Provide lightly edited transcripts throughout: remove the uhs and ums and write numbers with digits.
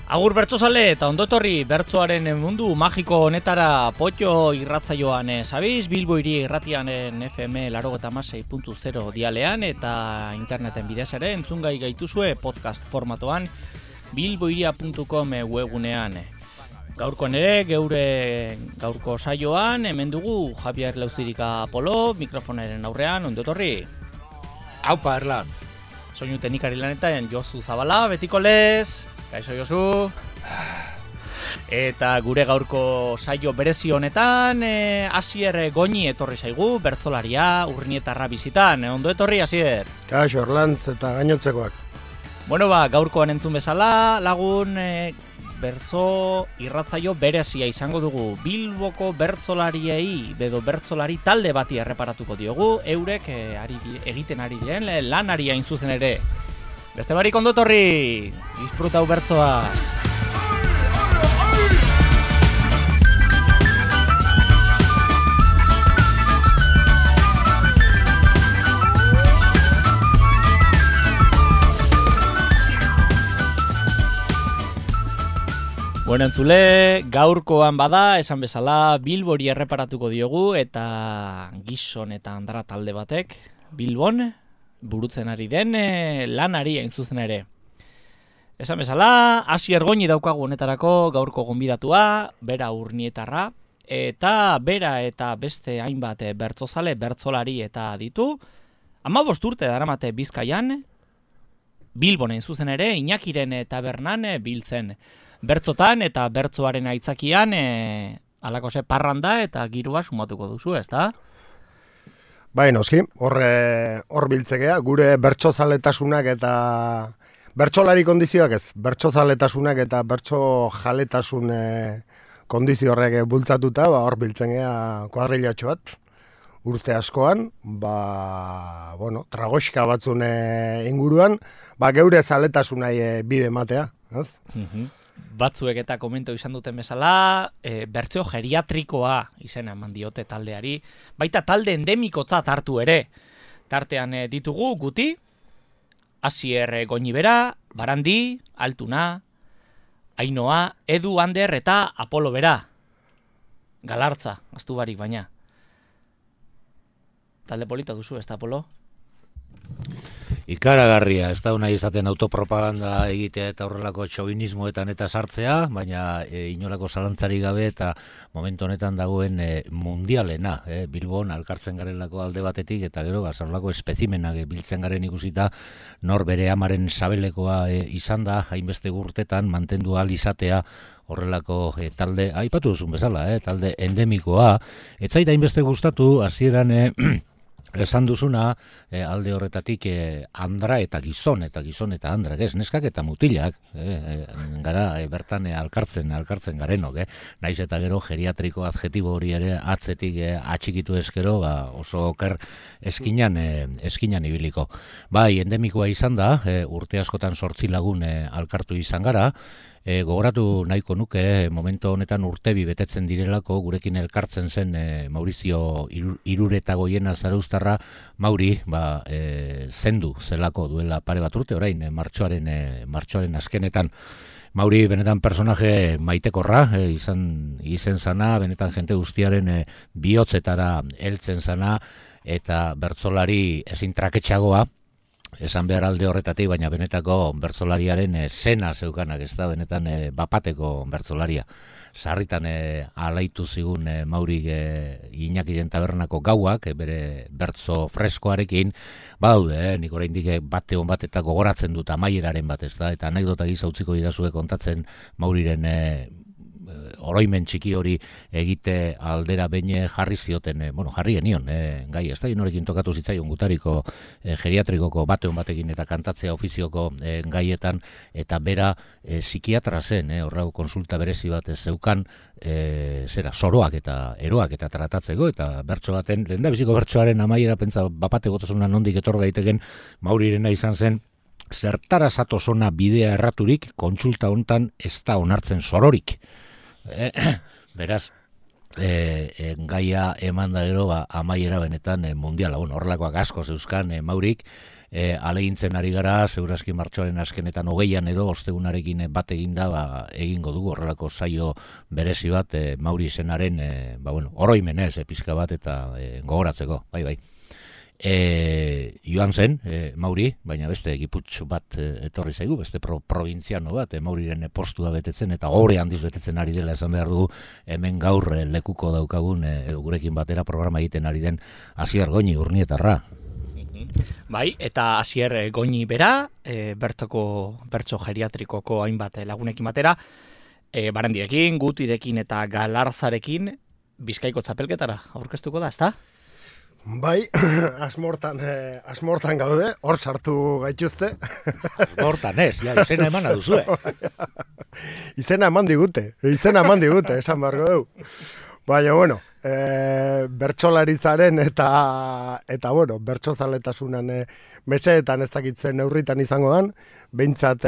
Agur bertsozale eta ondotorri bertsoaren mundu magiko honetara potxo irratzaioan sabiz, Bilbo hiri irratianen FM 86.0 dialean eta interneten bidez ere entzungai gaituzue podcast formatoan bilbohiria.com webunean. Gaurkoan ere, geure gaurko saioan, hemen dugu Javier Lauzirika Apolo, mikrofonaren aurrean, ondotorri. Aupa, Erlan. Soinu teknikari lanetan Josu Zabala, betiko lez. Kaixo Josu. Eta gure gaurko saio berezi honetan, Asier Goñi etorri zaigu, bertsolaria, urnietarra bizitan. Ondo etorri, Asier? Kaixo, Erlantz eta gainotzekoak. Bueno, gaurkoan entzun bezala, lagun bertso irratzaio berezia izango dugu. Bilboko bertsolariei, edo bertsolari talde bati erreparatuko diogu, eurek egiten ari diren lanari hain zuzen ere. Beste barik ondotorri, disfrutau bertsoa. Bueno, entzule, gaurkoan bada, esan bezala, Bilbori erreparatuko diogu eta gizon eta andara talde batek, Bilbon, burutzen ari den lanari hain zuzen ere. Esan bezala, Asier Goñi daukagu honetarako gaurko gonbidatua, bera urnietarra, eta bera eta beste hainbat bertsozale, bertsolari eta ditu, 15 urte daramate Bizkaian, Bilbon hain zuzen ere, Iñakiren tabernan biltzen. Bertzotan eta bertzoaren aitzakian halako parranda eta girua sumatuko duzu, ezta? Bai, noski, hor biltzekea, gure bertsozaletasunak eta bertsolari kondizioak ez, bertsozaletasunak eta bertsojaletasun kondizio horrek bultzatuta, hor biltzekea kuadrilatxo bat, urte askoan, tragoxka batzun inguruan, geure zaletasunai bide matea, ez? Batzuek eta komento izan duten bezala, bertsio geriatrikoa izena eman diote taldeari, baita talde endemikotzat hartu ere. Tartean ditugu guti, Asier Goñi bera, Barandi, Altuna, Ainoa, Edu, Ander eta Apolo bera. Galartza, aztu barik baina. Talde polita duzu, ez da Apolo? Ikaragarria, ez da nahi izaten autopropaganda egitea eta horrelako txobinismoetan eta sartzea, baina inolako zalantzari gabe eta momentu honetan dagoen mundialena, Bilbon alkartzen garelako alde batetik eta gero zarolako espezimenak biltzen garen ikusita nor bere amaren sabelekoa izan da, hainbeste urtetan mantendu ahal izatea horrelako talde, aipatu duzun bezala, talde endemikoa, ez zait hainbeste gustatu, hasieran esan duzuna, alde horretatik andra eta gizon eta andrak, neskak eta mutilak, gara bertan alkartzen garenok, naiz eta gero geriatriko adjetibo hori ere atzetik atxikitu eskero, oso oker eskinan ibiliko. Bai, endemikoa izan da, urte askotan 8 lagun alkartu izan gara, gogoratu nahiko nuke momentu honetan urtebi betetzen direlako gurekin elkartzen zen Maurizio Iruretagoiena Zarauztarra, Mauri zendu zelako duela pare bat urte orain martxoaren azkenetan. Mauri benetan personaje maitekorra izen zana, benetan jente guztiaren bihotzetara heltzen zana eta bertsolari ezin traketxagoa, esan behar alde horretatik, baina benetako bertsolariaren zena zeukanak, ez da, benetan bapateko bertsolaria. Sarritan alaitu zigun Mauri Iñakiren tabernako gauak, bere bertso freskoarekin, badaude, nik oraindik bate hon bat eta gogoratzen dut amaieraren bat, ez da, eta anekdota gisa utziko didazue kontatzen Mauriren oroimen txiki hori egite aldera behin jarri zioten, jarri genion, gai, ez da, inorekin tokatu zitzaion gutariko geriatrikoko bateon batekin eta kantatzea ofizioko gaietan, eta bera psikiatra zen, horrego konsulta berezi bat zeukan, soroak eta eroak eta tratatzeko, eta bertso baten, lehendabiziko bertsoaren amaiera pentsa bapate gotosuna nondik etor daiteken Maurirena izan zen, zertara zatozona bidea erraturik, kontsulta hontan ez da onartzen sororik. Beraz, gaia eman da gero amaiera benetan mundiala, horrelakoak asko zeuzkan Maurik, alegintzen ari gara, segurazki martxoaren azkenetan 20an edo ostegunarekin bat eginda egingo dugu horrelako saio berezi bat Mauri izenaren oroimenez pizka bat eta gogoratzeko, bai. Joan zen, Mauri, baina beste giputxo bat etorri zaigu, beste provintziano bat, Mauriren postua betetzen eta gore handiz betetzen ari dela esan behar dugu, hemen gaur lekuko daukagun gurekin batera programa egiten ari den Asier Goñi Urnietarra. Bai, eta Asier Goñi bera, bertso geriatrikoko hainbat lagunekin batera, Barandiekin, Gutirekin eta Galarzarekin Bizkaiko txapelketara aurkeztuko da, ezta? Bai, asmortan gaude, hor sartu gaituzte. Asmortan ez, izena emana duzue. Izena eman digute, esan beharko dugu. Baina, bertsolaritzaren eta bertsozaletasunan mesedetan ez dakitzen neurritan izango dan, behintzat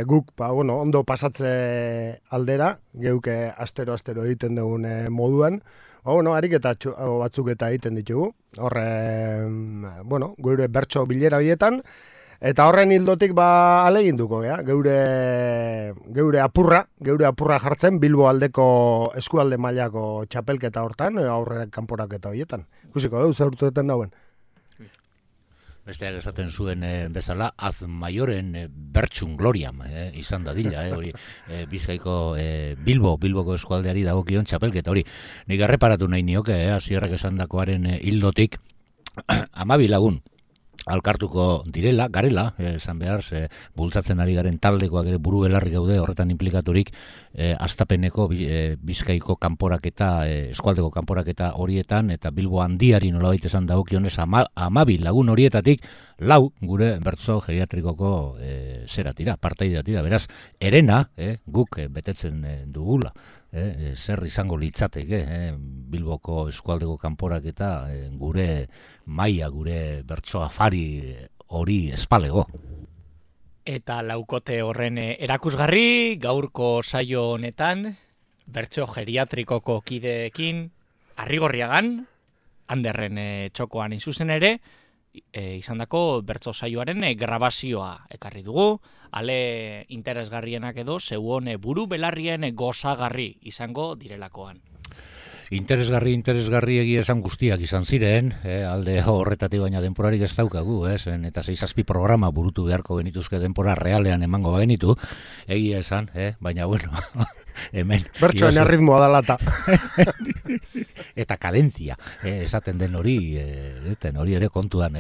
guk ondo pasatze aldera, geuke astero egiten dugun moduan, ariketa batzuk eta egiten ditugu, gure bertso bilera bietan, eta horren hildotik aleginduko, geure apurra jartzen Bilbo aldeko eskualde mailako txapelketa hortan, aurre kanporaketa horietan. Ikusiko dugu, zer urteetan dauen. Besteak esaten zuen bezala, Azmaioren bertsun gloriam izan dadila, hori Bizkaiko Bilboko eskualdeari dagokion txapelketa, hori nik erreparatu nahi nioke, Asierrek esandakoaren hildotik 12 lagun alkartuko garela, esan behar, bultzatzen ari garen taldekoak ere buru belarri gaude horretan implikaturik Astapeneko Bizkaiko kanporaketa, eskualdeko kanporaketa horietan, eta Bilbo handiari nolabait esan dagokionez 12 lagun horietatik 4 gure bertso geriatrikoko partaidea tira, beraz, herena guk betetzen dugula. Zer izango litzateke Bilboko eskualdeko kanporaketa gure maila, gure bertso afari hori espalego. Eta laukote horren erakusgarri gaurko saio honetan bertso geriatrikoko kideekin Arrigorriagan, Anderren txokoan inzuzen ere, izandako bertso saioaren grabazioa ekarri dugu, ale interesgarrienak edo zeuon buru belarrien gozagarri izango direlakoan. Interesgarri egia esan guztiak izan ziren, alde horretatik baina denporarik ez daukagu, eta 6-7 programa burutu beharko genituzke denpora realean emango bagenitu, egia esan, baina hemen... Bertsoen erritmoa da lata. Eta kadentzia, esaten den hori ere kontuan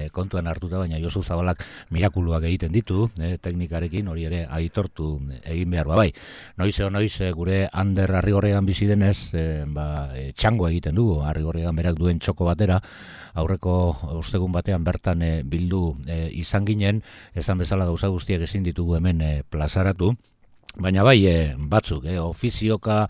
hartuta, baina Josu Zabalak mirakuluak egiten ditu, teknikarekin hori ere aitortu egin behar bai. Noiz gure Ander Arrigorriagan bizi denez, txango egiten dugu, Arrigorriagan berak duen txoko batera, aurreko ostegun batean bertan bildu izan ginen, esan bezala gauza guztiak ezin ditugu hemen plazaratu, baina bai batzuk, ofizioka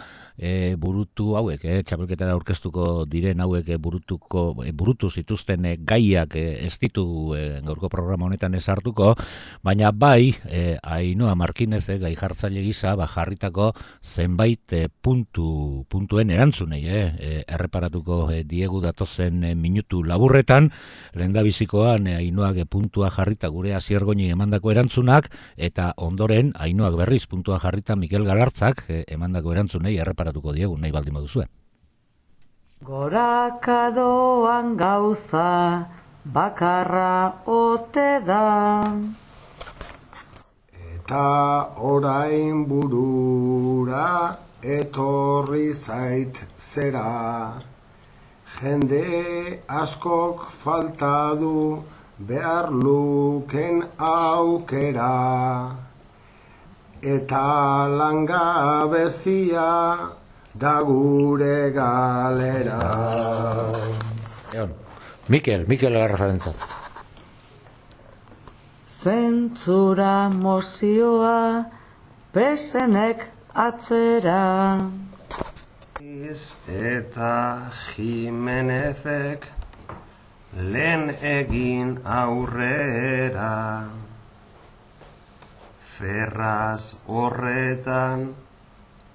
burutu hauek, txapelketara aurkeztuko diren hauek burutu zituzten gaiak ez ditu gaurko programa honetan ez hartuko, baina bai Ainhoa Markinez gai jartzaile gisa jarritako zenbait puntuen erantzunei erreparatuko diegu datozen minutu laburretan, lehendabizikoan Ainhoak puntua jarrita gure Asier Goñi emandako erantzunak, eta ondoren Ainhoak berriz puntua jarrita Mikel Galartzak emandako erantzunei erreparatuko diegu, nahi baldin baduzue. Gorakadoan gauza bakarra ote da, eta orain burura etorri zait zera, jende askok falta du behar luken aukera, eta langabezia da gure galera. Mikel Galarzarentzat. Zentzura mozioa pesenek atzera. Eta Jimenezek lehen egin aurrera. Ferraz horretan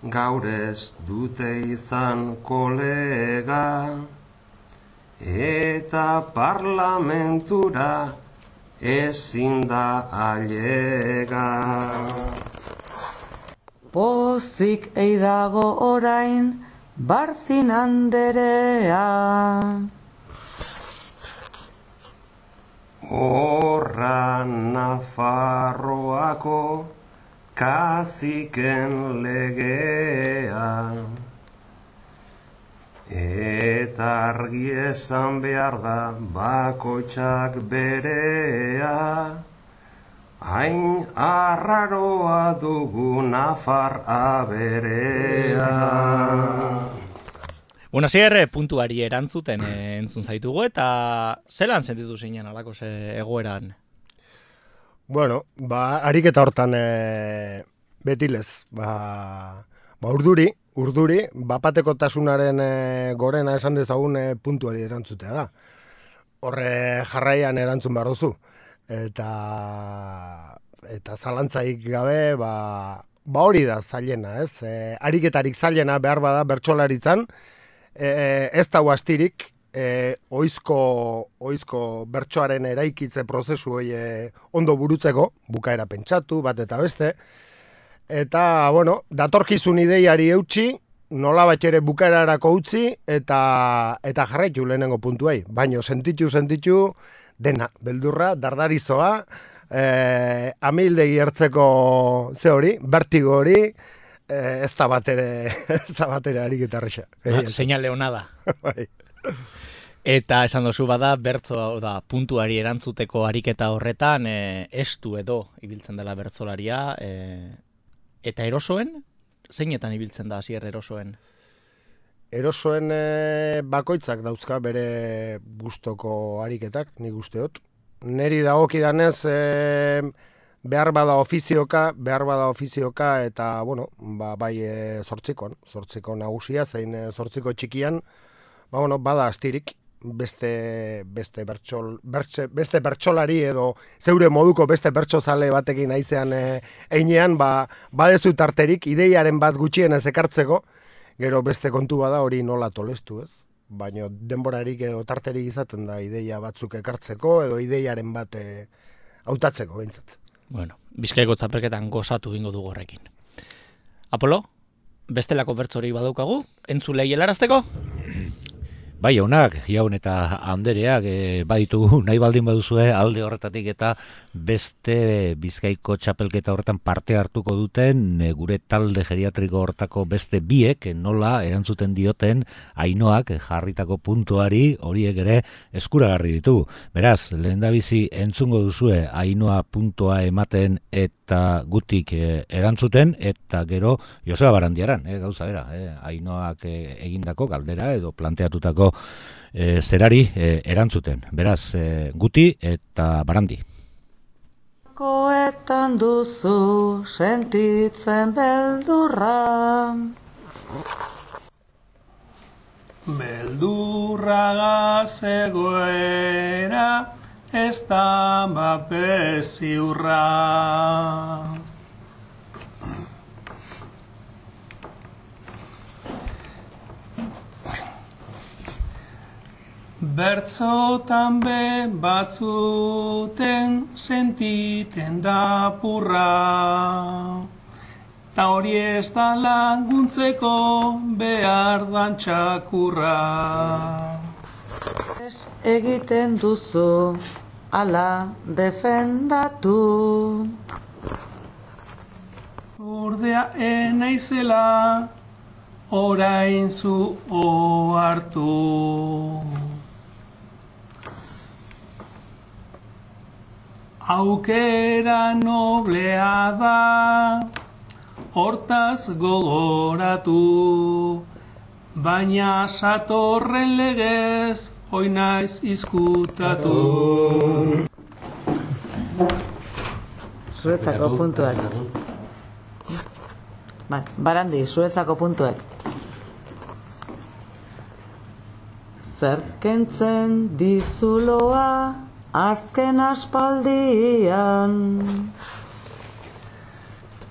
gaur ez dute izan kolega, eta parlamentura ezin da ailega. Pozik eidago orain, Barzin anderea. Horra Nafarroako kaziken legea, eta argi esan behar da bakoitzak berea, hain arraroa dugu Nafar aberea. Bueno, puntuari erantzuten entzun zaitugu, eta zelan sentitu zinen alako egoeran? Bueno, ariketa hortan betilez, urduri, bapatekotasunaren gorena esan dezagun puntuari erantzutea da. Horre jarraian erantzun behar duzu. Eta zalantzaik gabe, hori da zailena, ez? Ariketarik zailena behar bada bertsolaritzan, ez dago astirik, oizko bertsoaren eraikitze prozesu hori ondo burutzeko, bukaera pentsatu, bat eta beste, eta, bueno, datorkizun ideiari eutxi, nola bat ere bukaerarako utzi, eta jarraitu lehenengo puntuai. Baina sentitu, dena, beldurra, dardarizoa, amildegi hartzeko ze hori, bertigo hori, ez da bat ere ariketa erresa. Señal leonada. Bai. Eta esan dozu bada, bertso da, puntuari erantzuteko ariketa horretan, estu edo ibiltzen dela bertsolaria, eta erosoen, zeinetan ibiltzen da hasier erosoen? Erosoen bakoitzak dauzka bere gustoko ariketak, nik usteot. Neri dagokidanez behar bada ofizioka, eta, bueno, bai zortziko nagusia, zein zortziko txikian, bada astirik, beste bertsolari edo zeure moduko beste bertsozale batekin aizean einean, badezu tarterik, ideiaren bat gutxienez ekartzeko, gero beste kontu bada hori nola tolestu, ez? Baina denborarik edo tarterik izaten da ideia batzuk ekartzeko edo ideiaren bat hautatzeko behintzat. Bueno, Bizkaiko txapelketan gozatu bingo dugu horrekin. Apolo, bestelako bertsori badaukagu, entzulei helarazteko? Bai, jaunak, jaun eta andereak baditugu nahi baldin baduzue alde horretatik eta beste Bizkaiko txapelketa horretan parte hartuko duten gure talde geriatriko horretako beste biek nola erantzuten dioten Ainoak jarritako puntuari horiek ere eskuragarri ditugu. Beraz, lehendabizi entzungo duzue Ainoa puntua ematen eta gutik erantzuten eta gero Joseba Barandiaran, gauza bera, Ainoak egindako galdera edo planteatutako zerari erantzuten. Beraz, guti eta Barandi. Koetan duzu sentitzen beldurra. Beldurragaz egoera ez da bapeziurra. Bertzotan be batzuten sentiten da purra, ta hori ez da laguntzeko behar dan txakurra. Egiten duzu ala defendatu. Urdea enaizela orain zu ohartu. Aukera noblea da, hortaz gogoratu, baina satorren legez, hoi naiz izkutatu. Zuretzako puntuak. Barandi, zuretzako puntuak. Zer kentzen dizuloa, azken aspaldian.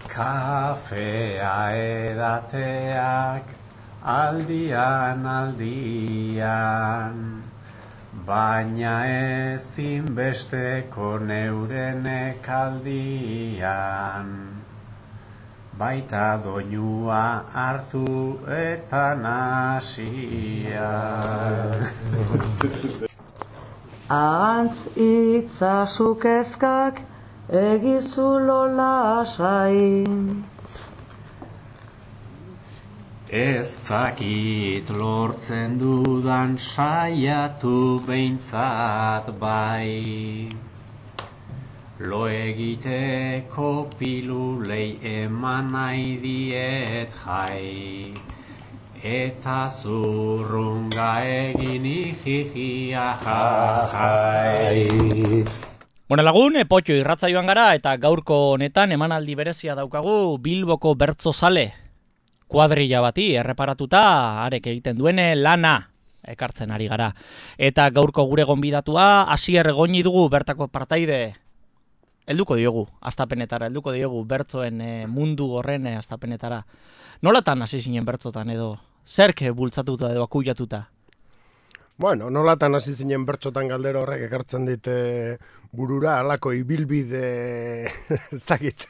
Kafea edateak aldian, baina ezinbesteko neuren ekaldian, baita doinua hartu eta nasia. Ahantz itzazukezkak egizulo lasai. Ez dakit lortzen dudan saiatu behintzat bai. Lo egiteko pilulei eman nahi diet jai. Eta zurrunga egin ijijia jai. Bueno lagun, potxo irratzaioan gara eta gaurko honetan emanaldi berezia daukagu Bilboko bertsozale kuadrilla bati erreparatuta arek egiten duene lana ekartzen ari gara. Eta gaurko gure gonbidatua Asier Goñi dugu bertako partaide. Helduko diogu astapenetara, helduko diogu bertsoen mundu horren astapenetara. Nolatan hasi zinen bertsotan edo zerk bultzatuta edo akuilatuta? Bueno, nolatan hasi zinen bertsotan galdera horrek ekartzen dit burura halako ibilbide ez dakit,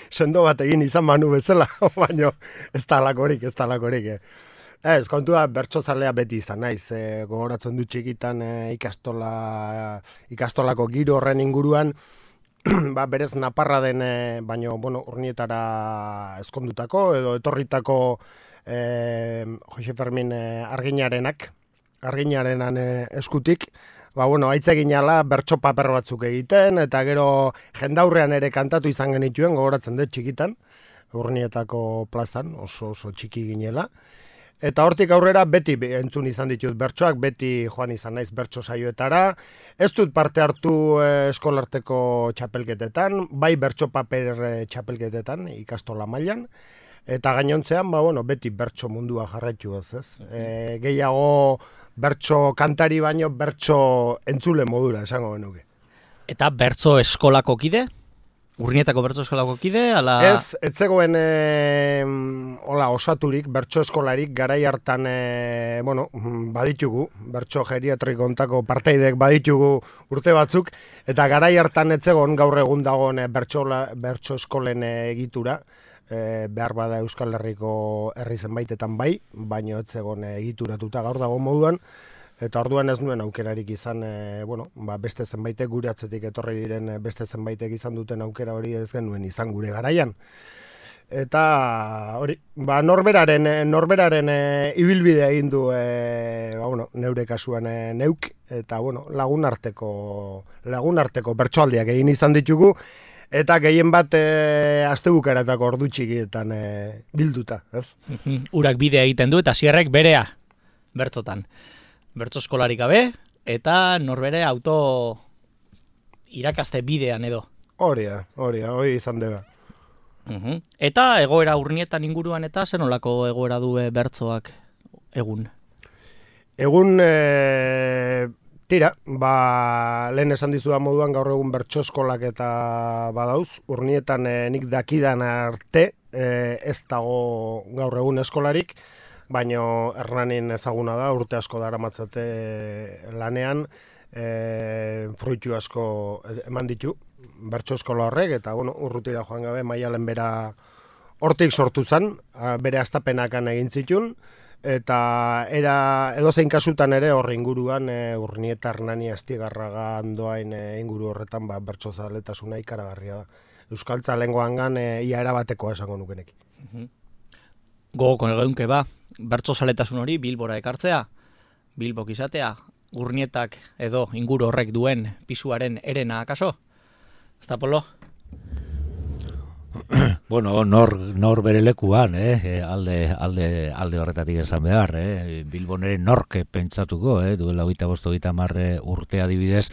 sendo bat egin izan manu bezala, baina ez da halakorik. Ez, kontua bertsozalea beti izan naiz, gogoratzen du txikitan ikastolako giro horren inguruan, ba, berez naparra den, baino, bueno, Urnietara ezkondutako edo etorritako Jose Fermin arginarenan eskutik, ba, bueno, aitzeginala bertso paper batzuk egiten, eta gero jendaurrean ere kantatu izan genituen, gogoratzen dut txikitan, Urnietako plazan, oso txiki ginela. Eta hortik aurrera beti entzun izan ditut bertsoak, beti joan izan naiz bertso saioetara. Ez dut parte hartu eskolarteko txapelketetan, bai bertso paper txapelketetan ikastola mailan. Eta gainontzean, ba, bueno, beti bertso mundua jarraitu ez. Gehiago bertso kantari baino bertso entzule modura esango genuke. Eta bertso eskolako kide? Urnietako bertso eskolako kide? Ala... Ez zegoen hola, osaturik, bertso eskolarik, garai hartan, bueno, baditugu, bertso geriatriko ontako parteidek baditugu urte batzuk, eta garai hartan ez zegoen gaur egun dagoen bertso eskolen egitura, behar bada Euskal Herriko herri zenbaitetan bai, baino ez zegoen egituratuta gaur dago moduan, eta orduan ez nuen aukerarik izan, bueno, ba, beste zenbaitek gure atzetik etorri diren beste zenbaitek izan duten aukera hori ez genuen izan gure garaian. Eta hori, ba, norberaren ibilbidea egin du, ba, bueno, neure kasuan neuk, eta bueno, lagunarteko bertsoaldiak egin izan ditugu, eta gehien bat astebukaretako ordu txikietan bilduta, ez? Urak bidea egiten du eta Asierrek berea bertsotan. Bertso eskolarik gabe, eta norbere auto irakaste bidean edo. Hori izan dela. Eta egoera Urnietan inguruan eta zer nolako egoera du bertsoak egun? Egun, tira, ba, lehen esan dizudan moduan gaur egun bertso eskolak eta badauz. Urnietan nik dakidan arte ez dago gaur egun eskolarik, baina Hernanin ezaguna da, urte asko daramatzate lanean, fruitu asko eman ditu, bertso eskola horrek, eta bueno, urrutira joan gabe Maialen bera hortik sortu zen, bere astapenakan egin zitun, eta edozein kasutan ere horre inguruan Urnieta Hernani Astigarraga Andoain inguru horretan ba, bertso zaletasuna ikaragarria da. Euskaltza lengoangan ia erabatekoa esango nukenek. Gogoko egeunke ba, bertso zaletasun hori Bilbora ekartzea, Bilbok izatea, Urnietak edo inguru horrek duen pisuaren erena akaso? Ez da, Polo? Bueno, nor bere lekuan, alde horretatik esan behar, Bilbon ere nork pentsatuko, duela 25-30 urte adibidez,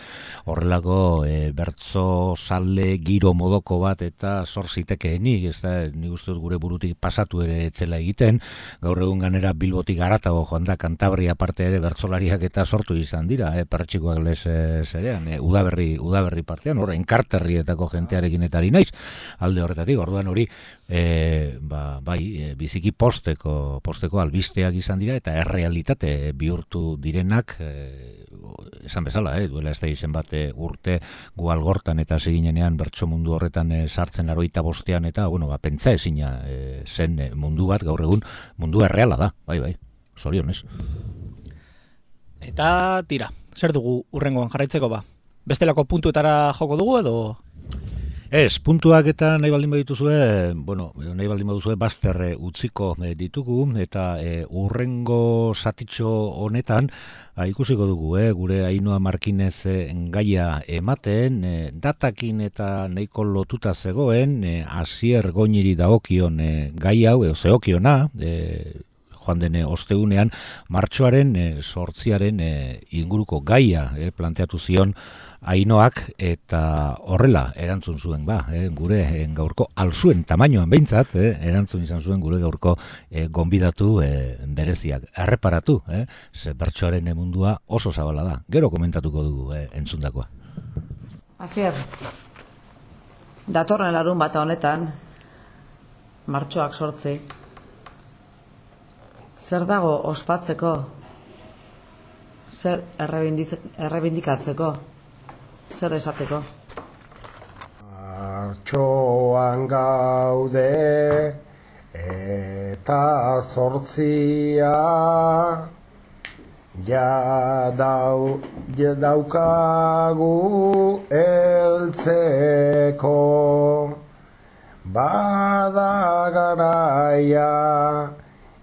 horrelako bertso sale giro modoko bat eta sor zitekeenik, ez da, nik uste dut gure burutik pasatu ere etzela egiten, gaur egun ganera Bilbotik haratago joan da Kantabria parte ere bertsolariak eta sortu izan dira, pertsikoak lez zerean, udaberri partean, enkarterrietako jentearekin eta ari naiz, alde horretatik. horretatik, orduan hori biziki posteko albisteak izan dira eta errealitate bihurtu direnak esan bezala, duela ez da izen bat urte gu Algortan eta seginenean bertso mundu horretan sartzen 85ean eta pentsa ezina zen mundu bat gaur egun mundu erreala da, bai, zorionez. Eta tira, zer dugu urrengoan jarraitzeko ba? Bestelako puntuetara joko dugu edo? Ez, puntuak eta nahi baldin baduzue bazter utziko ditugu eta urrengo zatitxo honetan ikusiko dugu, gure Ainhoa Markinez gaia ematen, datakin eta nahiko lotuta zegoen, Asier Goñiri dagokion gai hau, zeokiona, joan dene ostegunean, martxoaren 8 inguruko gaia planteatu zion Ainhoak eta horrela erantzun zuen gure gaurko alzuen tamainoan behintzat, erantzun izan zuen gure gaurko gonbidatu bereziak. Erreparatu, ze bertsoaren mundua oso zabala da. Gero komentatuko dugu entzundakoa. Asier, datorren larun bata honetan, martxoak 8, zer dago ospatzeko, zer errebindikatzeko, zer esateko? Martxoan gaude eta 8 daukagu heltzeko, bada garaia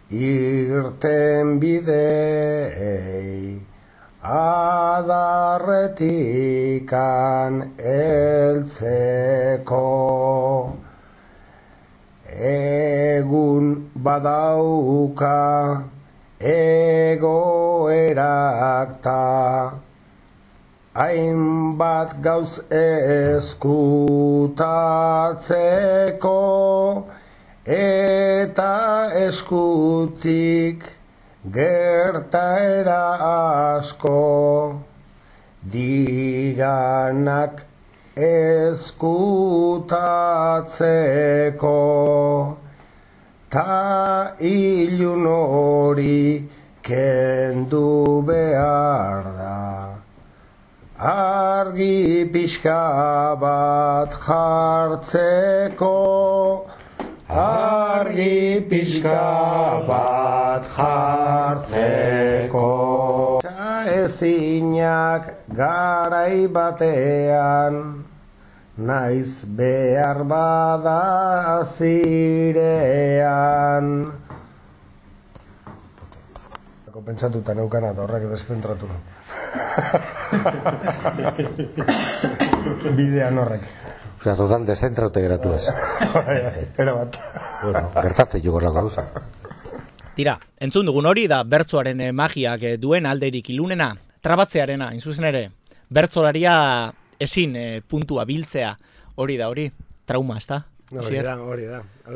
irten bidei adarretikan heltzeko. Egun badauka egoerak ta hainbat gauz eskutatzeko eta eskutik gertaera asko diranak eskutatzeko ta ilun hori kendu behar da, argi pixka bat jartzeko, argi pixka bat jartzeko. Ezinak garai batean, naiz behar bada zirean. Pentsatuta neukana eta horrek deszentratu. Bidean horrek. Osea, total dezentraute geratu ez. Era bat. Bueno, gertatzen joko lako gauza. Tira, entzun dugun hori da bertsoaren magiak duen alderik ilunena, trabatzearena, inzuzen ere, bertsolaria ezin puntua biltzea, hori da hori, trauma, ez da? Hori da.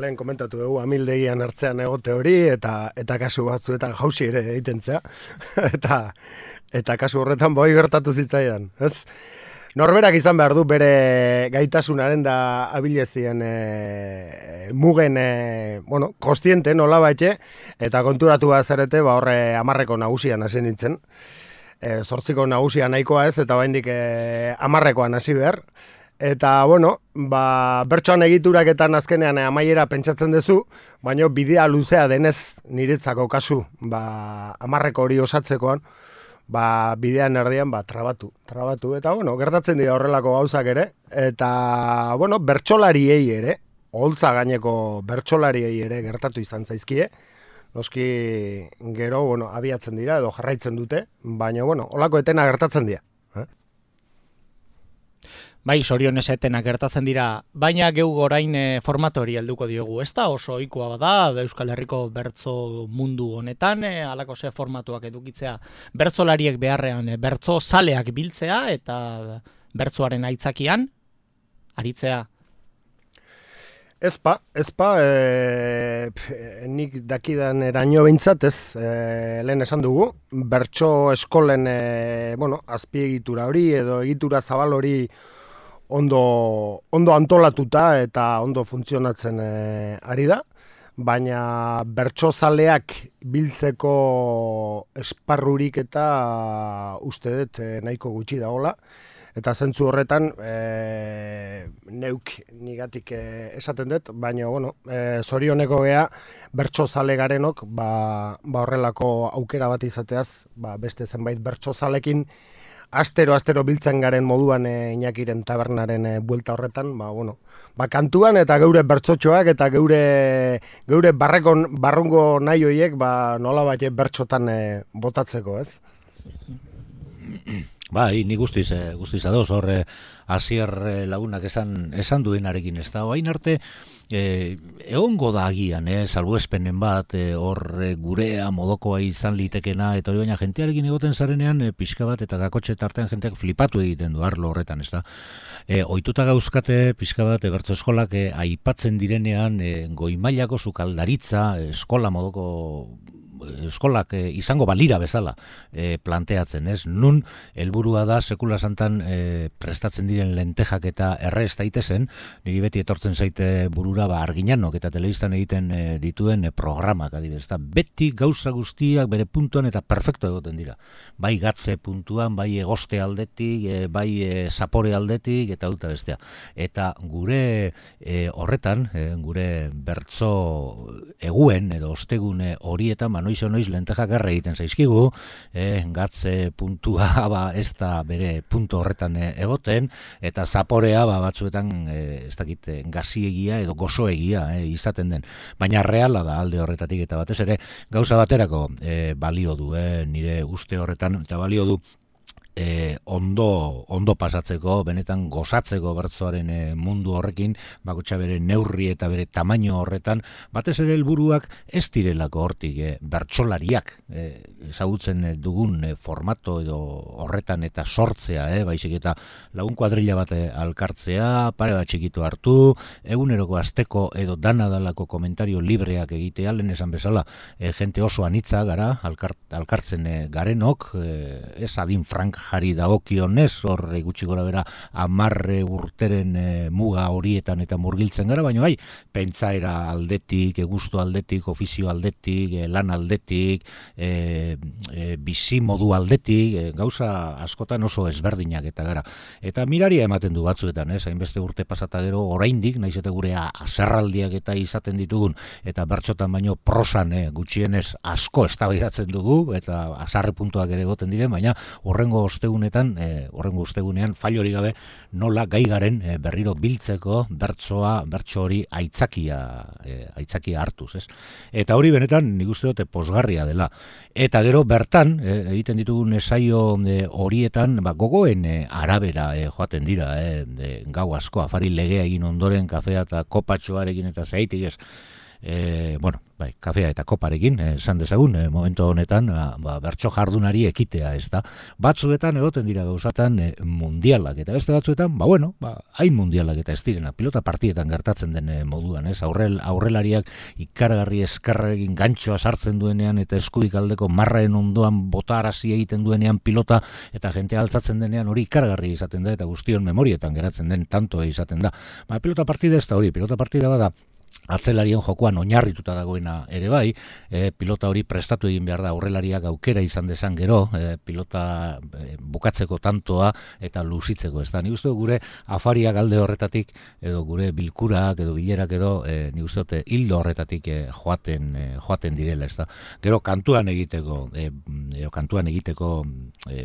Lehen komentatu dugu, amildegian hartzean egote hori, eta kasu batzuetan jausi ere egiten zea. eta kasu horretan boi gertatu zitzaidan, ez? Norberak izan behar du bere gaitasunaren da abilezien mugen, kostiente nola baitxe, eta konturatu bat zerete, horre 10 nagusian hasi nintzen. 8 nagusia nahikoa ez, eta baindik 10 hasi behar. Eta, bertsoan egituraketan azkenean amaiera pentsatzen duzu, baina bidea luzea denez niretzako kasu, 10 hori osatzekoan, bidean erdian trabatu. Eta, gertatzen dira horrelako gauzak ere, eta, bertsolariei ere, oholtza gaineko bertsolariei ere gertatu izan zaizkie, noski gero, abiatzen dira edo jarraitzen dute, baina, holako etena gertatzen dira. Bai, sorionez etenak gertatzen dira, baina geu orain formato hori helduko diogu. Ez da oso ohikoa bada Euskal Herriko bertso mundu honetan, halako ze formatuak edukitzea bertsolariek beharrean bertso zaleak biltzea eta bertsoaren aitzakian aritzea. Ezpa, nik dakidan eraino behintzat ez, lehen esan dugu, bertso eskolen azpiegitura hori edo egitura zabal hori ondo antolatuta eta ondo funtzionatzen ari da, baina bertsozaleak biltzeko esparrurik eta uste dut nahiko gutxi dagoela. Eta zentzu horretan, neuk nigatik esaten dut, baina, zorioneko gea, bertsozale garenok, horrelako aukera bat izateaz, beste zenbait bertsozalekin, astero biltzen garen moduan Iñakiren tabernaren buelta horretan, kantuan eta geure bertsotxoak eta geure barrungo nahi hoiek, nola bat bertsotan botatzeko, ez? Bai, ni guztiz ados, Asier lagunak esan duenarekin, ez da, hain arte, egongo da agian, salbuespenen bat, gurea, modokoa izan litekena, eta hori baina jentearekin egoten zarenean, pixka bat eta gakotxe tartean jenteak flipatu egiten du arlo horretan, ez da. Ohituta gauzkate, pixka bat, bertso eskolak aipatzen direnean, goi-mailako sukaldaritza, eskola modoko eskolak izango balira bezala planteatzen, ez? Nun helburua da sekula santan prestatzen diren lentejak eta errez daitezen, niri beti etortzen zaite burura Arginanok eta telebistan egiten dituen programak, adibidez, beti gauza guztiak bere puntuan eta perfecto egoten dira. Bai gatze puntuan, bai egoste aldetik, bai zapore aldetik eta duta bestea. Eta gure horretan, gure bertso eguen edo ostegune horietan, noiz lentejak erre egiten zaizkigu, gatze puntua ez da bere puntu horretan egoten, eta zaporea batzuetan ez dakit gaziegia edo gozoegia izaten den. Baina reala da alde horretatik eta batez ere gauza baterako balio du, nire uste horretan, eta balio du ondo pasatzeko, benetan gozatzeko bertsoaren mundu horrekin, bakotxa bere neurri eta bere tamaino horretan, batez ere helburuak ez direlako hortik bertsolariak ezagutzen dugun formato edo horretan eta sortzea, baizik eta lagun kuadrilla bat alkartzea, pare bat txikitu hartu, eguneroko asteko edo dana dalako komentario libreak egitea, lehen esan bezala, jente oso anitza gara, alkartzen garenok, ez adin frank jari dagokionez, hor gutxi gora bera 10 urteren muga horietan eta murgiltzen gara, baina bai, pentsaera aldetik, gustu aldetik, ofizio aldetik, lan aldetik, bizi modu aldetik, gauza askotan oso ezberdinak eta gara. Eta miraria ematen du batzuetan, hainbeste urte pasata gero oraindik, naiz eta gure azerraldiak eta izaten ditugun, eta bertsotan baino prosan gutxienez asko eztabaidatzen dugu, eta azarre puntuak ere egoten diren, baina horrengo ostegunean failori gabe nola gai garen berriro biltzeko bertso hori aitzakia hartuz, ez? Eta hori benetan nik uste dute pozgarria dela. Eta gero bertan egiten ditugun esaio horietan gogoen arabera joaten dira, gau asko afari legea egin ondoren kafea eta kopatxoarekin eta zeitik, ez? Kafea eta koparekin, esan dezagun, momentu honetan, bertso jardunari ekitea, ez da. Batzuetan egoten dira gauzatan mundialak, eta beste batzuetan, hain mundialak eta ez direna, pilota partietan gertatzen den moduan, ez? Aurrelariak ikaragarri eskarrekin gantxoa sartzen duenean, eta eskubik aldeko marraen ondoan botarazi egiten duenean pilota, eta jentea altzatzen denean hori ikaragarri izaten da, eta guztion memorietan geratzen den tantoa izaten da. Pilota partida ez da hori, pilota partida bada, atzelarien jokoan oinarrituta dagoena ere bai, pilota hori prestatu egin behar da aurrelariak aukera izan dezan gero, pilota bukatzeko tantoa eta luzitzeko, ez da. Ni uste gure afariak alde horretatik, edo gure bilkurak edo bilerak edo, ni uste hildo horretatik joaten direla, ez da. Gero kantuan egiteko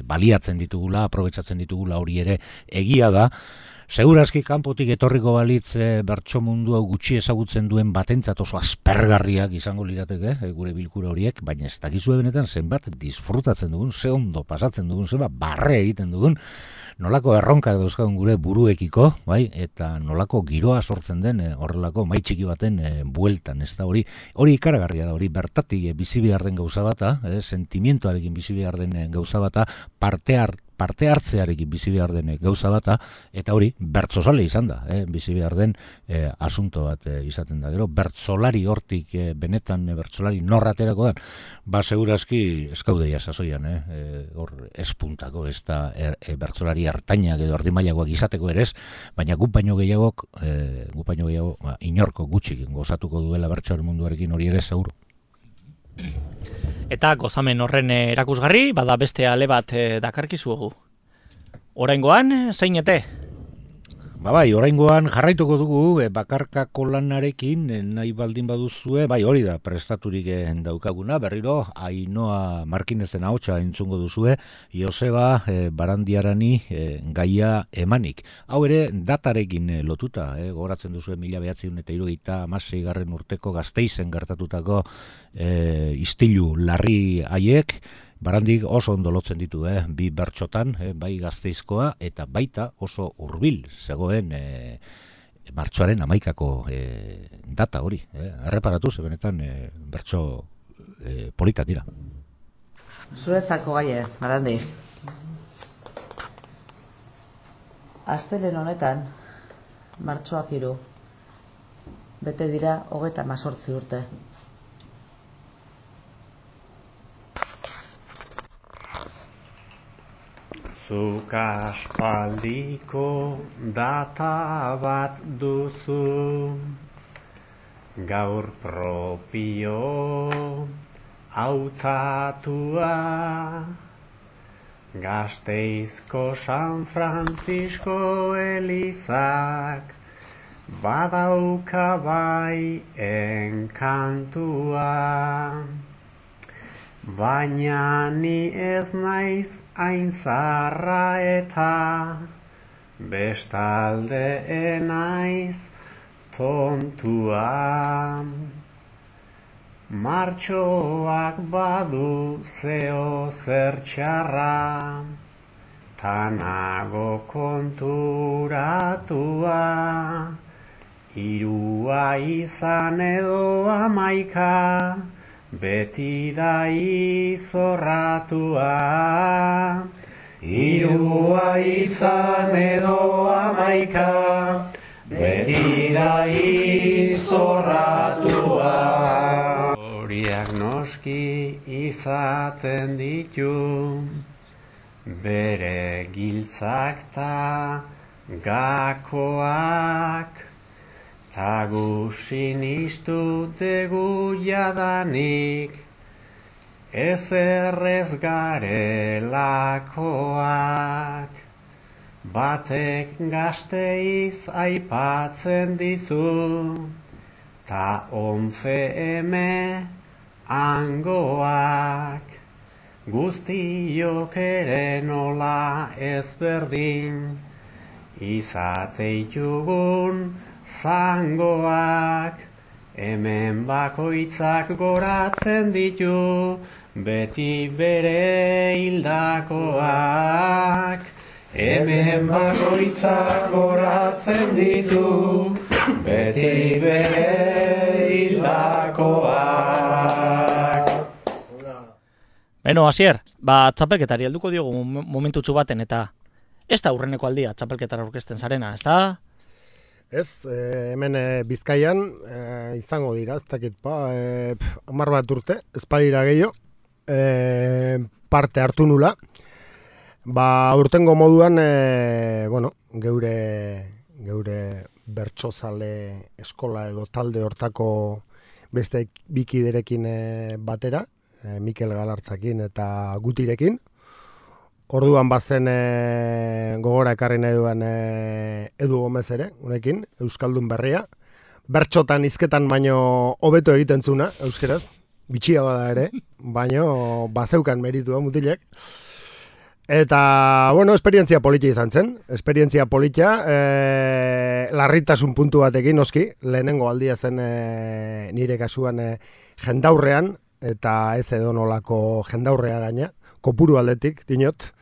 baliatzen ditugula, aprobetxatzen ditugula hori ere egia da. Segurazki kanpotik etorriko balitz bertso mundu hau gutxi ezagutzen duen batentzat oso aspergarriak izango lirateke, gure bilkura horiek, baina ez dakizue benetan zenbat disfrutatzen dugun, ze ondo pasatzen dugun, zenbat barre egiten dugun, nolako erronkak dauzkagun gure buruekiko, bai, eta nolako giroa sortzen den horrelako mai txiki baten bueltan, ez da hori ikaragarria da, hori bertatik bizi behar den gauza bata, sentimientoarekin bizi behar den gauza bata, parte hartzearekin bizi behar den gauza bata, eta hori bertsozale izan da, bizi behar den asunto bat izaten da. Gero, bertsolari hortik benetan bertsolari norraterako dan, segurazki eskaudeia sasoian, hor espuntako, ez da bertsolari hartainak edo ardimailagoak izateko ere ez, baina guk baino gehiago, inorko gutxik gozatuko duela bertsoaren munduarekin hori ere seguru. Eta gozamen horren erakusgarri, bada beste ale bat dakarkizuegu. Oraingoan, zeinete? Bai, oraingoan jarraituko dugu bakarkako lanarekin nahi baldin baduzue, bai hori da prestaturik daukaguna, berriro Ainhoa Markinezen ahotsa entzungo duzue, Joseba Barandiarani gaia emanik. Hau ere datarekin lotuta, gogoratzen duzue 1976 urteko Gasteizen gertatutako istilu larri haiek, Barandik oso ondo lotzen ditu, bi bertsotan, bai Gasteizkoa eta baita oso hurbil zegoen martxoaren 11ko data hori. Erreparatu ze benetan bertso polita dira. Zuretzako gaie, Barandi. Astelen honetan, martxoak 3, bete dira 38 urte. Zuk aspaldiko data bat duzu, gaur propio hautatua, Gasteizko San Francisco Elizak badauka bai enkantua. Baina ni ez naiz hain zaharra eta bestalde naiz tontua. Martxoak badu zeo zer txarra, tanago konturatua, 3 izan edo 11, beti da izorratua. 3 izan edo 11, beti da izorratua. Horiak noski izaten ditu, bere giltzak ta gakoak, ta gu sinistu dugu jadanik, ezerrez garelakoak. Batek Gasteiz aipatzen dizu, ta 11 hangoak, guztiok ere nola ezberdin, izateitugun zangoak, hemen bakoitzak goratzen ditu, beti bere hildakoak. Hemen bakoitzak goratzen ditu, beti bere hildakoak. Beno, Asier, txapelketari helduko diogu momentutxu baten, eta ez da aurreneko aldia txapelketara aurkezten zarena, ez da? Ez, hemen Bizkaian izango dira, ez dakit, 10 bat urte, ez badira gehiago, parte hartu nula. Urtengo moduan, geure bertsozale eskola edo talde hortako beste bikiderekin batera, Mikel Galartzakin eta Gutirekin. Orduan bazen gogora ekarri nahi duan Edu Gomez ere, unekin, Euskaldun berria. Bertxotan hizketan baino hobeto egiten zuna, euskeraz, bitxia bada ere, baino bazeukan meritua mutilek. Eta, esperientzia politia izan zen. Esperientzia politia, larritasun puntu batekin, noski, lehenengo aldia zen nire kasuan jendaurrean, eta ez edo nolako jendaurrea gaina, kopuru aldetik, dinot,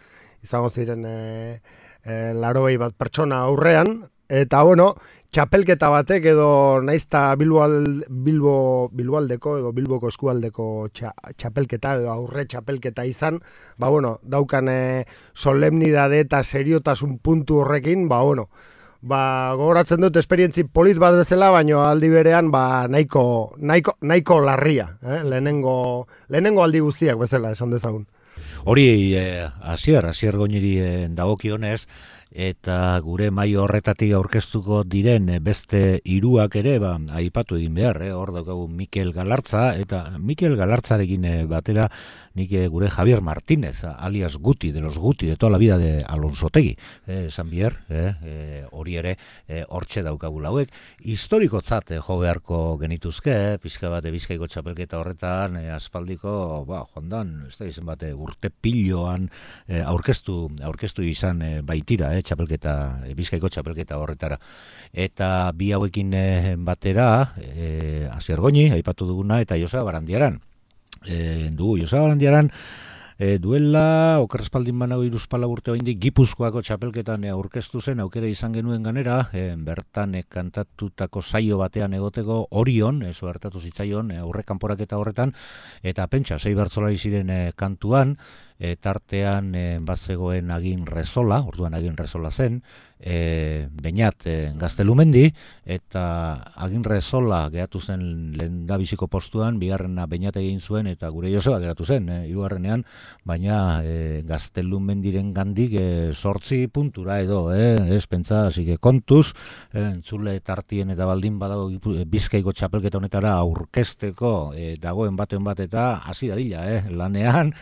izango ziren 80 bat pertsona aurrean, Eta, bueno, txapelketa batek edo naizta Bilboaldeko edo Bilboko eskualdeko txapelketa edo aurre txapelketa izan, ba, bueno, daukan solemnidade eta seriotasun puntu horrekin, ba, bueno, ba, gogoratzen dut esperientzi polit bat bezala, baino aldi berean ba, nahiko larria, lehenengo aldi guztiak bezala esan dezagun. Hori Asier Goñiri dagokionez, eta gure maila horretatik aurkeztuko diren beste hiruak ere aipatu egin behar, hor daukagu Mikel Galartza, eta Mikel Galartzarekin batera nik gure Javier Martínez, alias Guti, de los Guti, de toda la vida de Alonsotegi, esan bier, hori ere hortxe daukagula hauek. Historikotzat jo beharko genituzke, pixka bat Bizkaiko txapelketa horretan, aspaldiko, joandan, ez da izan bate, urte piloan aurkeztu izan baitira, Bizkaiko txapelketa horretara. Eta bi hauekin batera, Asier Goñi, aipatu duguna, eta Joseba Barandiaran. Joseba Barandiaran duela okerrespaldin banago 3-4 urte oraindik Gipuzkoako txapelketan aurkeztu zen, aukera izan genuen ganera, bertan kantatutako saio batean egoteko Orion, hartatu zitzaion aurrekanporaketa horretan, eta pentsa 6 bertsolari ziren kantuan, tartean bazegoen Agin Rezola, orduan Agin Rezola zen, Beñat Gaztelumendi, eta Agin Rezola geratu zen lehendabiziko postuan, bigarrena Beñat egin zuen, eta gure Joseba geratu zen, hirugarrenean, baina Gaztelumendiren gandik 8 puntura edo, ez pentsa, asike kontuz, entzule tartien eta baldin badago Bizkaiko txapelketa honetara aurkezteko dagoen baten bat eta hasi dadila, lanean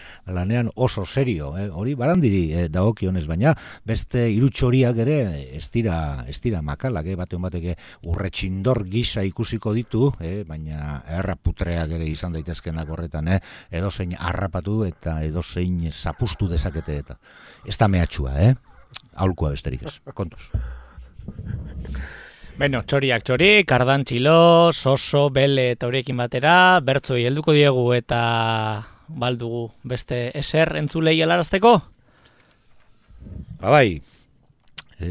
oso serio, hori Barandiri dagokionez, baina beste irutxoriak ere ez dira makalak, batean bateke urretxindor gisa ikusiko ditu, baina erraputreak ere izan daitezkenak horretan, edozein harrapatu eta edozein zapustu dezakete eta ez da mehatxua, aholkua besterik ez, kontuz. Beno, txoriak txori, kardantxilo, soso, bele eta horiekin batera, bertzoi helduko diegu eta baldugu beste eser entzulei helarazteko? Bai,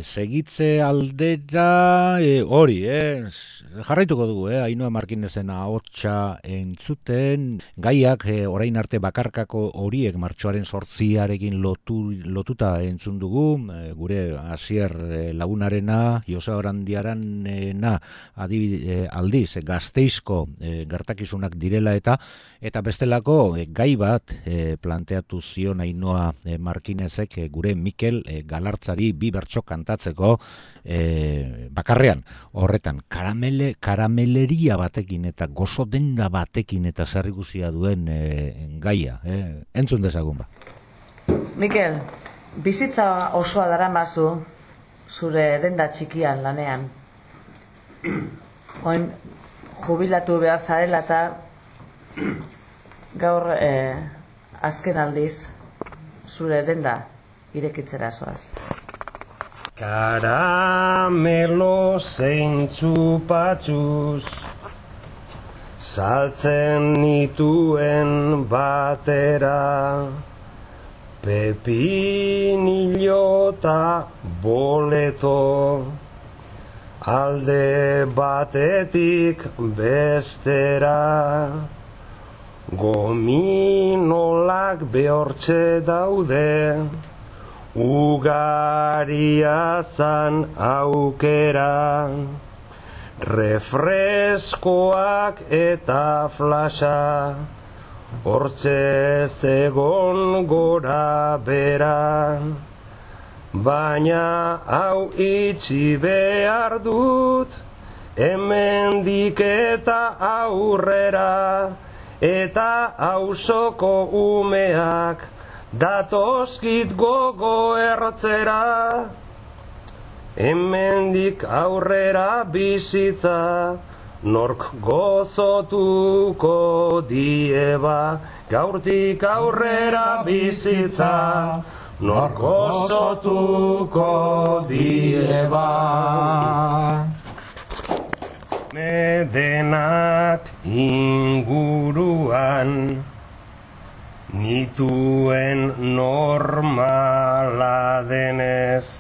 segitze aldera hori, jarraituko dugu, Ainhoa Markinezen ahotsa entzuten, gaiak orain arte bakarkako horiek martxoaren 8arekin lotuta entzun dugu, gure Asier lagunarena, Joseba Barandiarena aldiz Gasteizko gertakizunak direla eta bestelako gai bat planteatu zion Ainhoa Markinezek gure Mikel Galartzari 2 bertso kantatzeko bakarrean, horretan karameleria batekin eta gozo denda batekin eta zerrikusia duen gaia, entzun dezagun ba. Mikel, bizitza osoa daramazu zure denda txikian lanean. Oin jubilatu behar zarela eta gaur azken aldiz zure denda irekitzera zoaz. Karamelo zein txupatxuz saltzen nituen batera, pepinillo eta boleto alde batetik bestera, gominolak behortxe daude, ugaria zan aukera, refreskoak eta flasha, hortxe zegon gora bera, baina hau itxi behar dut, hemendik eta aurrera, eta auzoko umeak datozkit gogo ertzera, hemendik aurrera bizitza nork gozotuko dieba, gaurtik aurrera bizitza nork gozotuko dieba. Medenak inguruan nituen normala denez,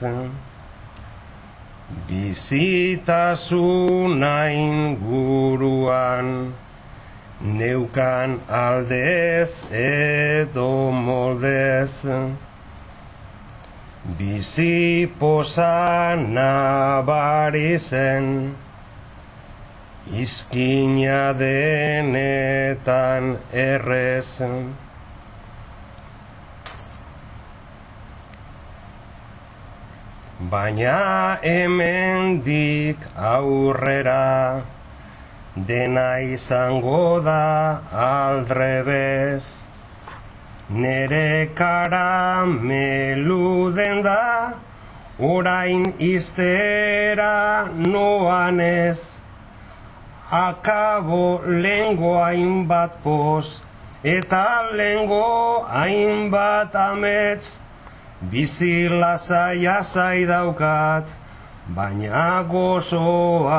bizitasuna inguruan, neukan aldez edo moldez, bizi poza nabari zen, izkina denetan errez. Baina hemendik aurrera, dena izango da aldrebez. Nere karamelu den da, orain iztera noan ez. Akabo lengo hainbat poz, eta lengo hainbat amets. Bizi lasai daukat, baina gozoagoa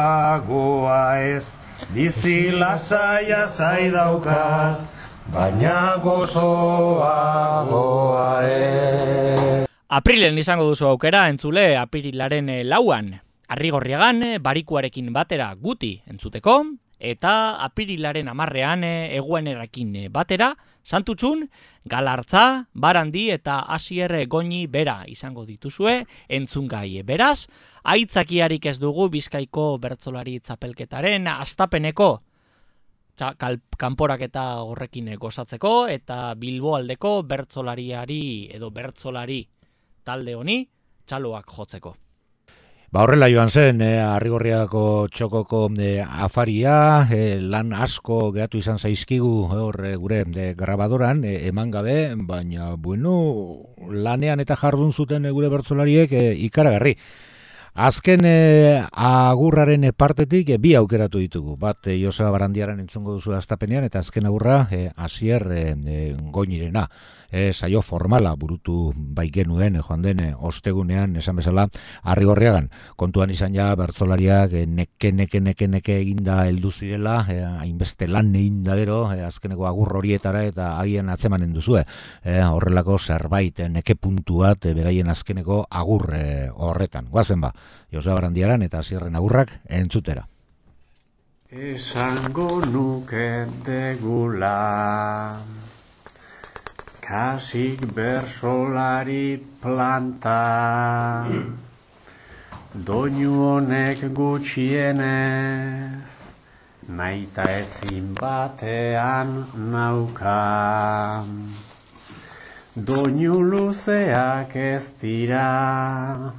ez. Bizi lasai daukat, baina gozoagoa ez. Aprilen izango duzu aukera entzule apirilaren 4an. Arrigorriagan barikuarekin batera guti entzuteko, eta apirilaren 10ean eguenerakin batera, Santutxun, Galartza, Barandi eta Asier Goñi bera izango dituzue entzungai. Beraz, aitzakiarik ez dugu Bizkaiko bertsolari txapelketaren astapeneko kanporaketa horrekin gozatzeko eta Bilboaldeko bertsolariari edo bertsolari talde honi txaloak jotzeko. Horrela joan zen, Arrigorriako txokoko afaria, lan asko gehatu izan zaizkigu gure grabadoran, eman gabe, baina, bueno, lanean eta jardun zuten gure bertsolariek ikaragarri. Azken agurraren partetik bi aukeratu ditugu. Bat Joseba Barandiaran entzungo duzu astapenean, eta azken agurra Asier Goñirena. Saio formala burutu bai genuen joan den ostegunean esan bezala Arrigorriagan. Kontuan izan ja bertsolariak neke eginda heldu zirela, hainbeste lan eginda gero, azkeneko agur horietara eta haien atzemanen duzue. Horrelako zerbait neke puntu bat beraien azkeneko agur horretan. Goazen ba, Joseba Barandiaran eta Asierren agurrak entzutera. Esango nuke degula kasik bersolari planta, doinu honek gutxienez, naita ezin batean nauka. Doinu luzeak ez dira,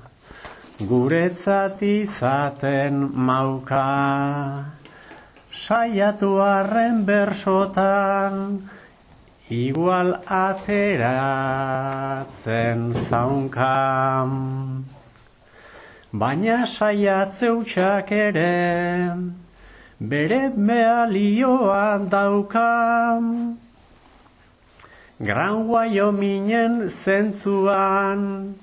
guretzat izaten mauka. Saiatu arren bersotan, igual ateratzen zaunkam, baina saiatze hutsak ere, bere bealioan daukam. Gran Wyomingen zentzuan,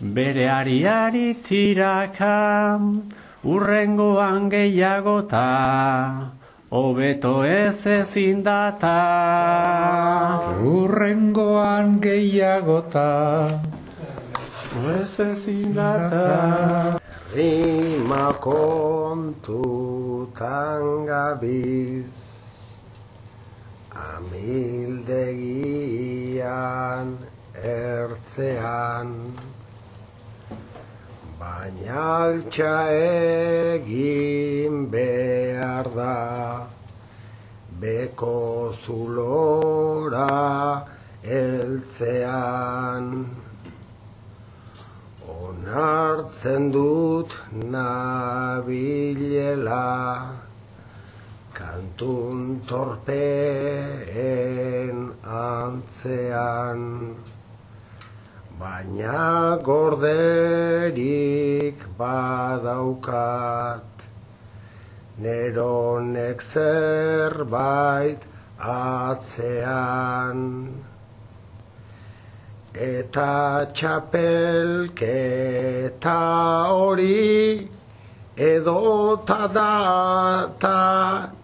bere ariari tirakam, urrengoan gehiagota, hobeto ez ezin data. Urrengoan gehiagota, ez ezin data. Rima kontutan gabiz, amildegian ertzean, baina altxa egin behar da, beko zulora heltzean. Onartzen dut nabilela, kantun torpeen antzean, baina gorderik badaukat, neronek zerbait atzean. Eta txapelketa hori edota data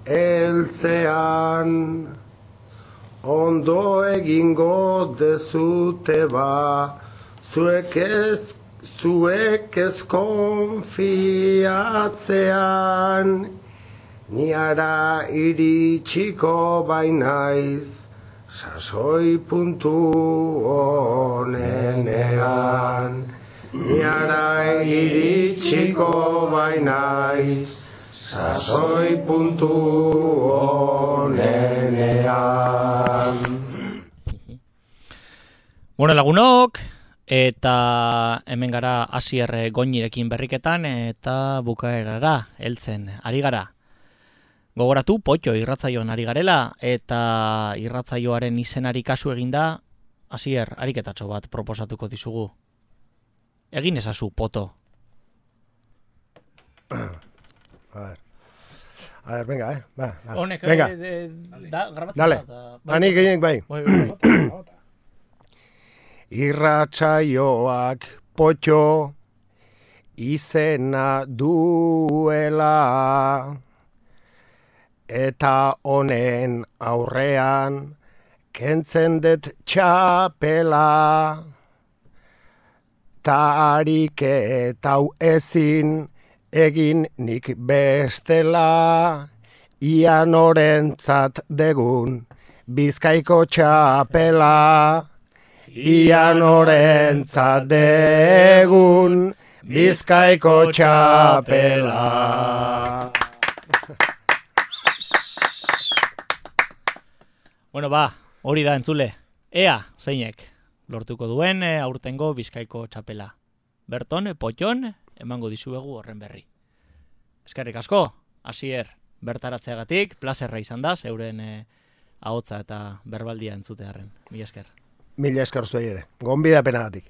heltzean, ondo egingo dezute ba, zuek zuek ez konfiatzean, niara iritsiko bainaiz, sasoi puntu honenean. Niara iritsiko bainaiz, sasoi puntu honenean. Bueno, lagunok, eta hemen gara Asier Goñirekin berriketan eta bukaerara heltzen ari gara. Gogoratu, potxo irratzaioan ari garela, eta irratzaioaren izenari kasu eginda, Asier, ariketatxo bat proposatuko dizugu. Egin ezazu, poto. A ver, venga, Honek, venga. grabatzen Dale, ani gehienek bai. Irratsaioak potxo izena duela, eta honen aurrean kentzen dut txapela, ta ariketau ezin egin nik bestela, ia norentzat degun Bizkaiko txapela, ia norentzat degun Bizkaiko txapela. Bueno, hori da entzule. Ea, zeinek lortuko duen aurtengo Bizkaiko txapela. Berton, potxon, emango dizuegu horren berri. Eskerrik asko, Asier, bertaratzeagatik, plazerra izan da, euren ahotsa eta berbaldia entzutearren. Mila esker. Mila esker zuei ere, gonbidapenagatik.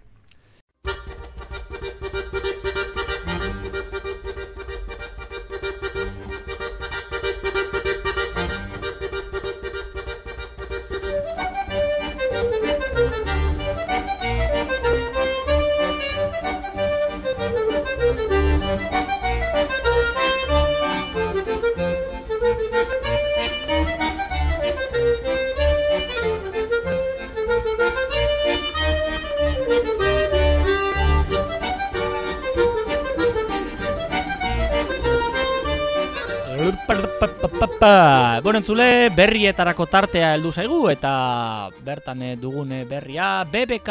Bueno, entzule, berrietarako tartea heldu zaigu eta bertan dugun berria BBK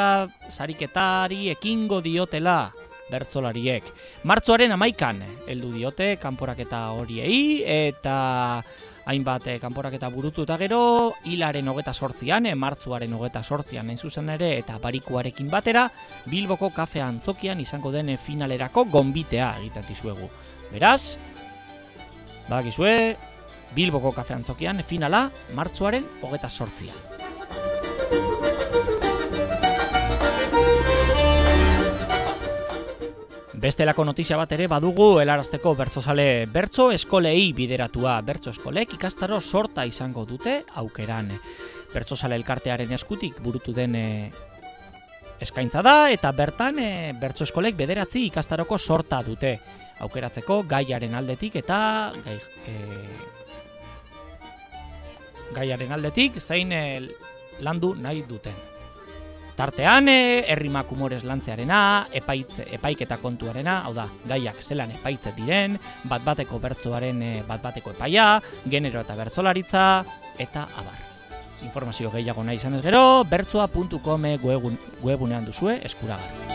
sariketari ekingo diotela bertsolariek. Martxoaren 11an heldu diote kanporaketa horiei eta hainbat kanporaketa burutu eta gero hilaren 28an, martxoaren 28an hain zuzen ere eta barikuarekin batera Bilboko kafe antzokian izango den finalerako gonbitea egiten dizuegu. Beraz, badakizue, Bilboko kafe antzokian finala martxoaren 28an. Bestelako notizia bat ere badugu helarazteko bertsozale bertso eskolei bideratua. Bertso eskolek ikastaro sorta izango dute aukeran. Bertsozale elkartearen eskutik burutu den eskaintza da eta bertan bertso eskolek 9 ikastaroko sorta dute. Aukeratzeko gaiaren aldetik eta gaiaren aldetik zein landu nahi duten. Tartean, errimak humorez lantzearena, epaiketa kontuarena, hau da, gaiak zelan epaitzet diren, bat-bateko bertsoaren bat-bateko epaia, genero eta bertsolaritza, eta abar. Informazio gehiago nahi izanez gero, bertsoa.com webunean duzue eskuragarri.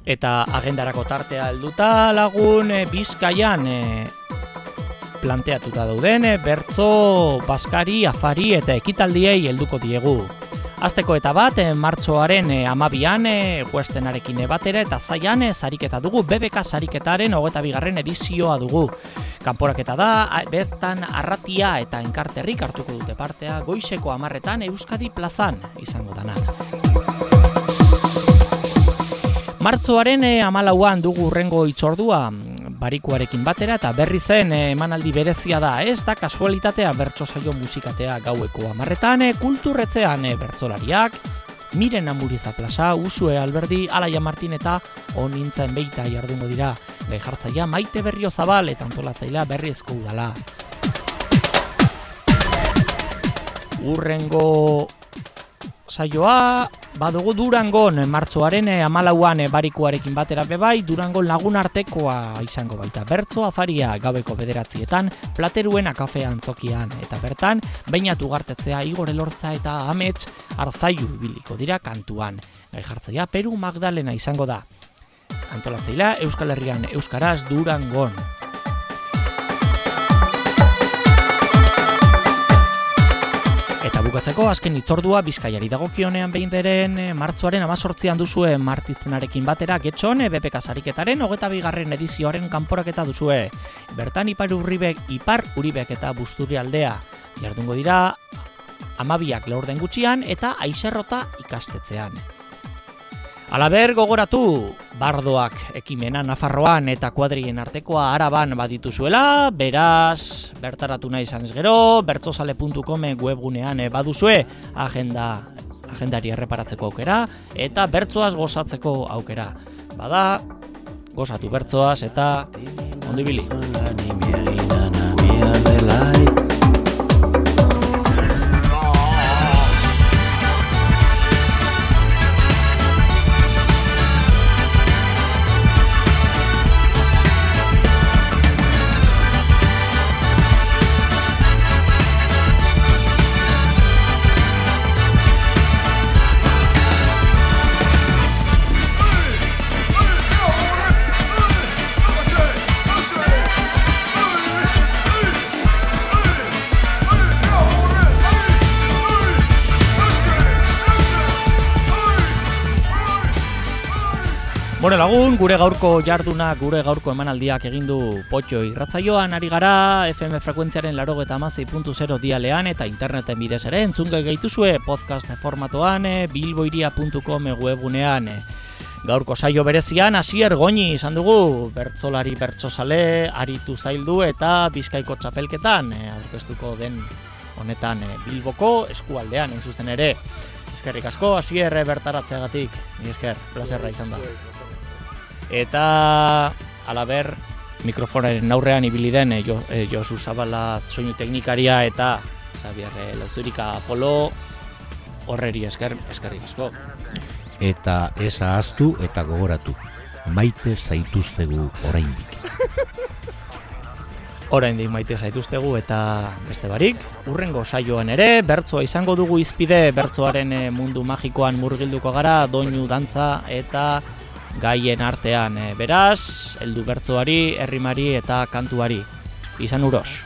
Eta agendarako tartea helduta lagun Bizkaian planteatuta dauden bertso, baskari, afari eta ekitaldiei helduko diegu. Azteko eta bat, martxoaren 12an Westernarekin batera eta zaian sariketa dugu, BBK sariketaren 22. edizioa dugu. Kanporaketa da, bertan arratia eta enkarterrik hartuko dute partea, goizeko 10etan Euskadi plazan izango dana. Martxoaren 14an dugu urrengo hitzordua, barikuarekin batera eta berri zen emanaldi berezia da, ez da kasualitatea bertso saio musikatea gaueko 10etan, kulturretzean bertsolariak, Miren Amuriza Plaza, Usue Alberdi, Alaia Martin eta Onintzen Beita jardungo dira. Gai jartzaia Maite Berriozabal eta antolatzailea Berriezko Udala. Urrengo saioa badugu Durangon, martxoaren 14an barikuarekin batera bebai, Durangon lagunartekoa izango baita. Bertso afaria gaueko 9etan, Plateruen kafe antzokian, eta bertan, Beinat Ugartetzea, Igor Elortza eta Amets Arzaiu ibiliko dira kantuan. Gai jartzaia Peru Magdalena izango da. Antolatzailea Euskal Herrian Euskaraz Durangon. Eta bukatzeko azken hitzordua Bizkaiari dagokionean behin beren martxoaren 18an duzue Martizenarekin batera Getxon BPK sariketaren 22. edizioaren kanporaketa duzue. Bertan Ipar Uribek eta Busturialdea jardungo dira 12ak laurden gutxian eta Aixerrota ikastetxean. Alaber gogoratu, bardoak ekimena Nafarroan eta kuadrien artekoa Araban badituzuela, beraz, bertaratu nahi izan ez gero, bertsozale.com webgunean baduzue agendari erreparatzeko aukera eta bertsoaz gozatzeko aukera. Bada, gozatu bertsoaz eta ondo ibili. Bore lagun, gure gaurko jarduna, gure gaurko emanaldiak egin du Potxo irratsaioan ari gara, FM frekuentziaren 96.0 dialean eta interneten bidez ere entzungai gaituzue podcast formatoan, bilboiria.com webgunean. Gaurko saio berezian Asier Goñi izan dugu, bertsolari bertsozale, aritu zaildu eta Bizkaiko txapelketan, aurkeztuko den honetan Bilboko eskualdean hain zuzen ere. Eskerrik asko, Asier bertaratzeagatik, ni esker, plazerra izan da. Eta alaber mikrofonaren aurrean ibili den Josu Zabala soinu teknikaria eta Xabier Lauzurika Apolo horreri eskerrik asko. Eta ez ahaztu eta gogoratu, maite zaituztegu oraindik. Oraindik maite zaituztegu eta beste barik, urrengo saioan ere bertsoa izango dugu hizpide, bertsoaren mundu magikoan murgilduko gara, doinu, dantza eta gaien artean, beraz, heldu bertsoari, errimari eta kantuari. Izan uros.